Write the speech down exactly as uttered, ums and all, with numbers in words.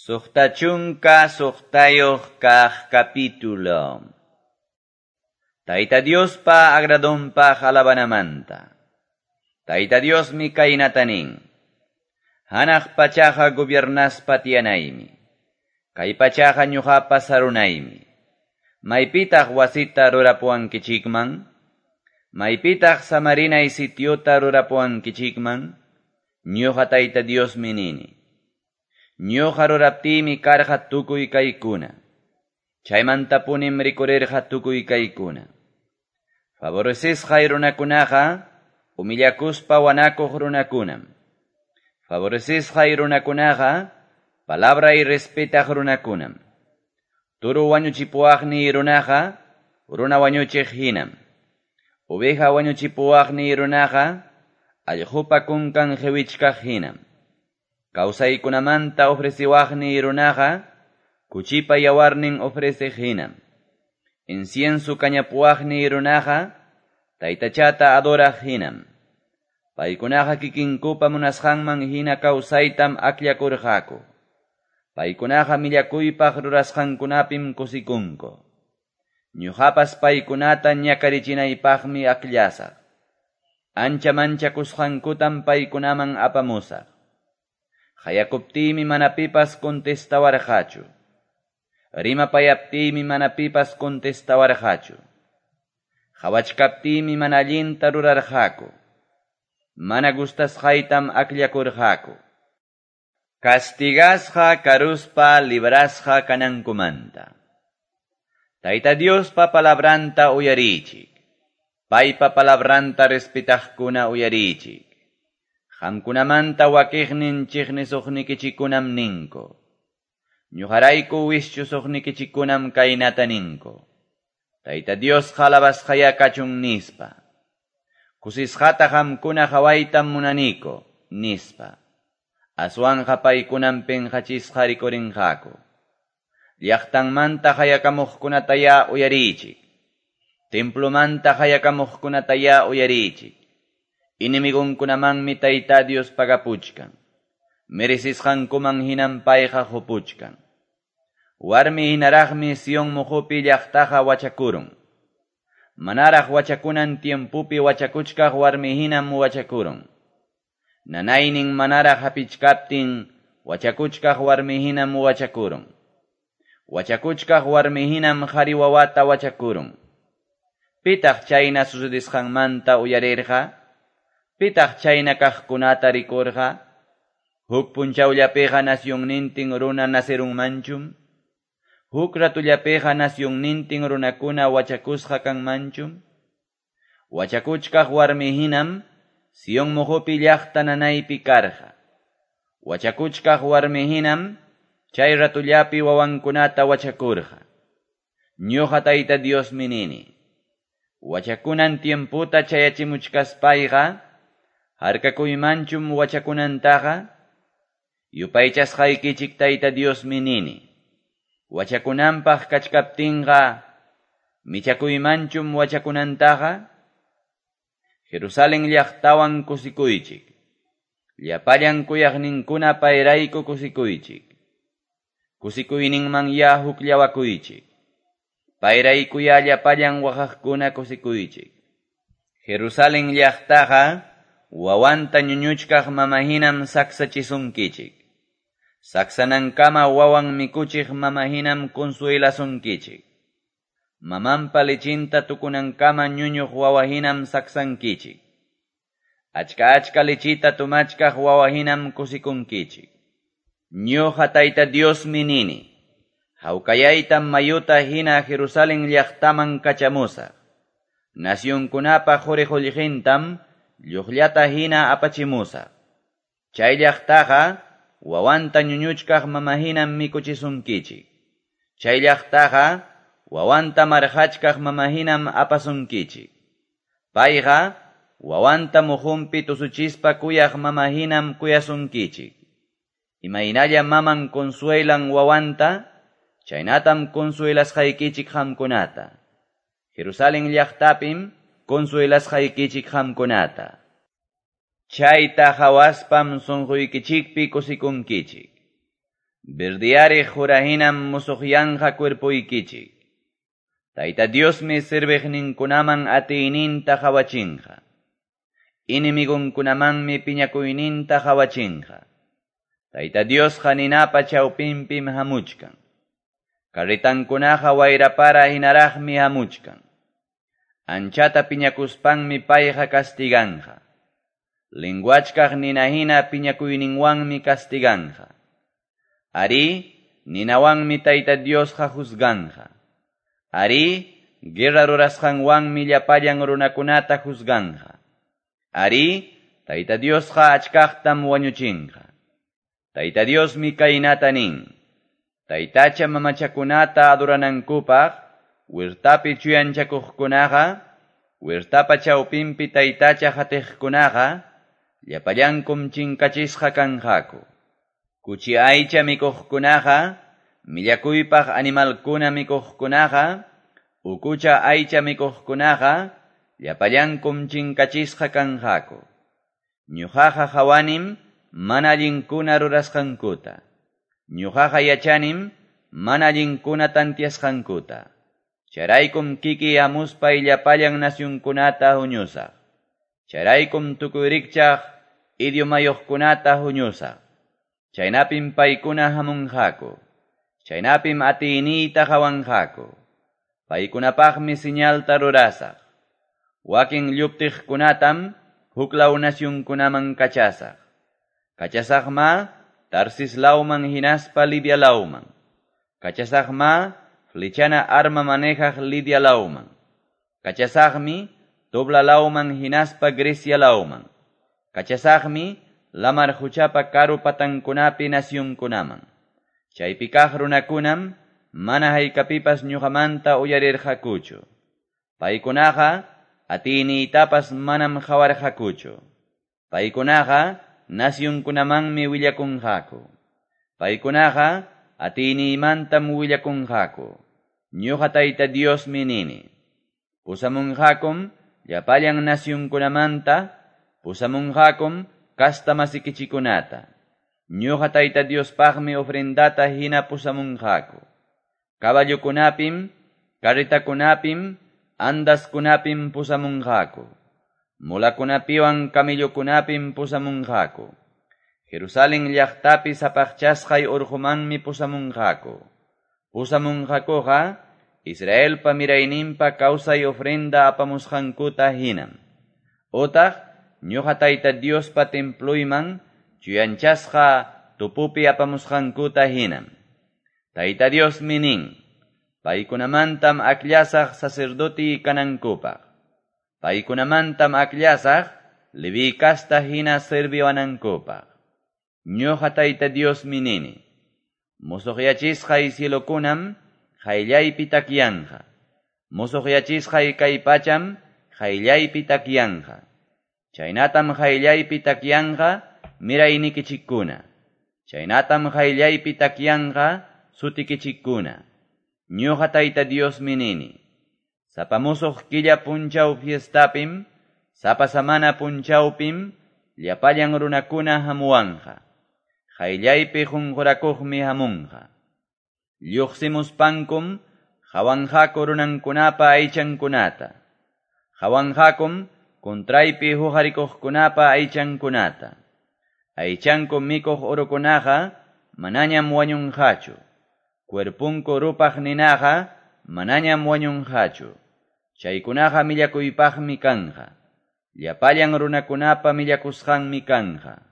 Suqta chunka suqtayuq kaq capítulo. Tayta Diospa agradonpaq alabanamanta. Tayta Diosmi kaynata nin. Hanaq pachaqa gobiernaspa tiyanaymi. Kay pachaqa ñuqapa sarunaymi. Maypitaq wasita rurapuwankichikman? Maypitaq samarinay sitiota rurapuwankichikman? Ñuqa Tayta Diosmi nini. Ñuqa ruraptiymi karqa tukuy kaykuna. Chaymantapunim rikurirqa tukuy kaykuna. Favorecisqay runakunaqa humillakuspa wanakuq runakunam. Favorecisqay runakunaqa palabra y respetaq runakunam. Turu wañuchipuwaqniy runaqa runa wañuchiq hinam. Oveja wañuchipuwaqniy runaqa allqupa kunkan qiwichkaq hinam. Kawsaykunamanta ofreciwaqniy runaqa kuchipa yawarnin ofreceq hinam. Incienso kañapuwaqniy runaqa taytachata adoraq hinam. Paykunaqa kikinkupa munasqanman hina kawsaytam akllakurqaku. Paykunaqa millakuypaq rurasqankunapim kusikunku. Ñuqapas paykunata ñakarichinaypaqmi akllasaq. Ancha manchakusqankutam paykunaman apamusaq. Qayakuptiymi mana pipas contestawarqachu. Rimapayaptiymi mana pipas contestawarqachu. Qhawachkaptiymi mana allinta rurarqaku. Mana gustasqaytam akllakurqaku. Castigasqa karuspa librasqa kanankumanta. Tayta Diospa palabranta uyarichik. Paypa palabranta respetaqkuna uyarichik. Qamkunamanta wakiqnin chiqnisuqnikichikunam ninku. Ñuqarayku wischusuqnikichikunam kaynata ninku. Tayta Diosqa alabasqaya kachun nispa. Kusisqata qamkuna qhawaytam munaniku nispa. Aswanqa paykunam pinqachisqa rikurinqaku. Llaqtanmanta qayakamuqkunataya uyarichik. Templomanta qayakamuqkunataya uyarichik. Enemigonkunamanmi Tayta Dios pagapuchkan. Merecisqankuman hinam payqa qupuchkan. Warmi hinaraqmi Sion muqupi llaqtaqa wachakurun. Manaraq wachakunan tiempupi wachakuchkaq warmi hinam wachakurun. Nanaynin manaraq hapichkaptin wachakuchkaq warmi hinam wachakurun. Wachakuchkaq warmi hinam qhari wawata wachakurun. Pitaq chayna sucedisqanmanta uyarirqa? Pitaq chayna kaqkunata rikurqa? Huk punchawllapiqa nacionnintin runa nacerunmanchum? Huk ratullapiqa nacionnintin runakuna wachakusqa kanmanchum? Wachakuchkaq warmi hinam Sion muqupi llaqta nanaypi karqa. Wachakuchkaq warmi hinam chay ratullapi wawankunata wachakurqa. Ñuqa Tayta Diosmi nini. Wachakunan tiemputa chayachimuchkaspayqa harkakuymanchum wachakunantaqa? Yupaychasqaykichik Tayta Diosmi nini. Wachakunanpaq kachkaptinqa michakuymanchum wachakunantaqa? Jerusalén llaqtawan kusikuychik. Llapallan kuyaqninkuna payrayku kusikuychik. Kusikuyninman ya hukllawakuychik. Payraykuya llapallan waqaqkuna kusikuychik. Jerusalén llaqtaqa wawanta ñuñuchkaq mama hinam saksachisunkichik. Saksanankama wawan mikuchiq mama hinam consuelasunkichik. Mamanpa lichinta tukunankama ñuñuq wawa hinam saksankichik. Achka achka lichita tumachkaq wawa hinam kusikunkichik. Ñuqa Tayta Diosmi nini. Hawkayaytam mayuta hina Jerusalén llaqtaman kachamusaq. Nacionkunapa quri qullqintam lluqllata hina apachimusaq. Chay llaqtaqa wawanta ñuñuchkaq mama hinam mikuchisunkichik. Chay llaqtaqa wawanta marqachkaq mama hinam apasunkichik. Payqa wawanta muhunpi tusuchispa kuyaq mama hinam kuyasunkichik. Imaynalla maman consuelan wawanta, chaynatam consuelasqaykichik qamkunata. Jerusalén llaqtapim consuelasqaykichik qamkunata. Chayta hawaspam sunquykichikpi kusikunkichik. Verdiyariq qura hinam musuqyanqa cuerpoykichik. Tayta Diosmi serviqninkunaman atiyninta qawachinqa. Enemigonkunamanmi piñakuyninta qawachinqa. Tayta Diosqa ninapa chawpinpim hamuchkan. Carretankunaqa wayrapara hinaraqmi hamuchkan. Anchata piñakuspanmi payqa castiganqa. Linguachkaq nina hina piñakuyninwanmi castiganqa. Arí, ninawanmi Tayta Diosqa juzganqa. Arí, guerra rurasqanwanmi llapallan runakunata juzganqa. Arí, Tayta Diosqa achkaqtam wañuchinqa. Tayta Diosmi kaynata nin. Taytacha mamachakunata adoranankupaq, huertapi chuyanchakuqkunaqa, huertapa chawpinpi taytacha hatiqkunaqa, llapallankum chinkachisqa kanqaku. Kuchi aycha mikuqkunaqa, millakuypaq animalkuna mikuqkunaqa, ukucha aycha mikuqkunaqa, llapallankum chinkachisqa kanqaku. Ñuqaqa hawanim mana allinkuna rurasqankuta. Ñuqaqa yachanim mana allinkuna tantiasqankuta. Chayraykum kiki hamuspay llapallan nasyunkunata huñusaq. Chayraykum tukuy rikchaq idiomayuqkunata huñusaq. Chaynapim paykuna hamunqaku. Chaynapim atiyniyta qawanqaku. Paykunapaqmi señalta rurasaq. Wakin lluptiqkunatam huklaw nasyunkunaman kachasaq. Kachasaqma Tarsis lawman hinaspa Libia lawman. Kachasaqma flechana arma manejaq Lidia lawman. Kachasaqmi Tobla lawman hinaspa Grecia lawman. Kachasaqmi lamar huchapa karu patankunapi nasyunkunaman. Chaypi kaq runakunam mana haykapipas ñuqamanta uyarirqakuchu. Paykunaqa atiyniytapas manam qawarqakuchu. Paykunaqa nasyunkunamanmi willakunqaku. Paykunaqa atiyniymantam willakunqaku. Ñuqa Tayta Diosmi nini. Pusamunqakum llapallan nasyunkunamanta, pusamunqakum kasta masikichikunata. Ñuqa Tayta Diospaqmi ofrendata hina pusamunqaku. Caballokunapim, carretakunapim, andaskunapim pusamunqaku. Mulakunapiwan camellokunapim pusamunqaku. Jerusalén llaqtapi sapaqchasqay urqumanmi pusamunqaku. Pusamunqakuqa Israelpa mirayninpa kawsay ofrenda apamusqankuta hinam. Otaq ñuqa Tayta Diospa templuyman chuyanchasqa tupupi apamusqankuta hinam. Tayta Diosmi nin, paykunamantam akllasaq sacerdoti kanankupaq. Paykunamantam akllasaq Leví kasta hina serviwanankupaq. Ñuqa Tayta Diosmi nini, musuqyachisqay cielokunam qayllaypi takyanqa. Musuqyachisqay kay pacham qayllaypi takyanqa. Chaynatam qayllaypi takyanqa miraynikichikkuna. Chaynatam qayllaypi takyanqa sutikichikkuna. Ñuqa Tayta Diosmi nini, sapa musuq killa punchaw fiestapim, sapa samana punchawpim, llapallan runakuna hamuwanqa. Qayllaypi qunqurakuqmi hamunqa. Lluqsimuspankum qawanqaku runankunapa aychankunata. Qawanqakum kontraypi huqarikuqkunapa aychankunata. Aychanku mikuq urukunaqa manañam wañunqachu. Cuerpunku rupaq ninaqa manañam wañunqachu. Chaykunaqa millakuypaqmi kanqa. Llapallan runakunapa millakusqanmi kanqa.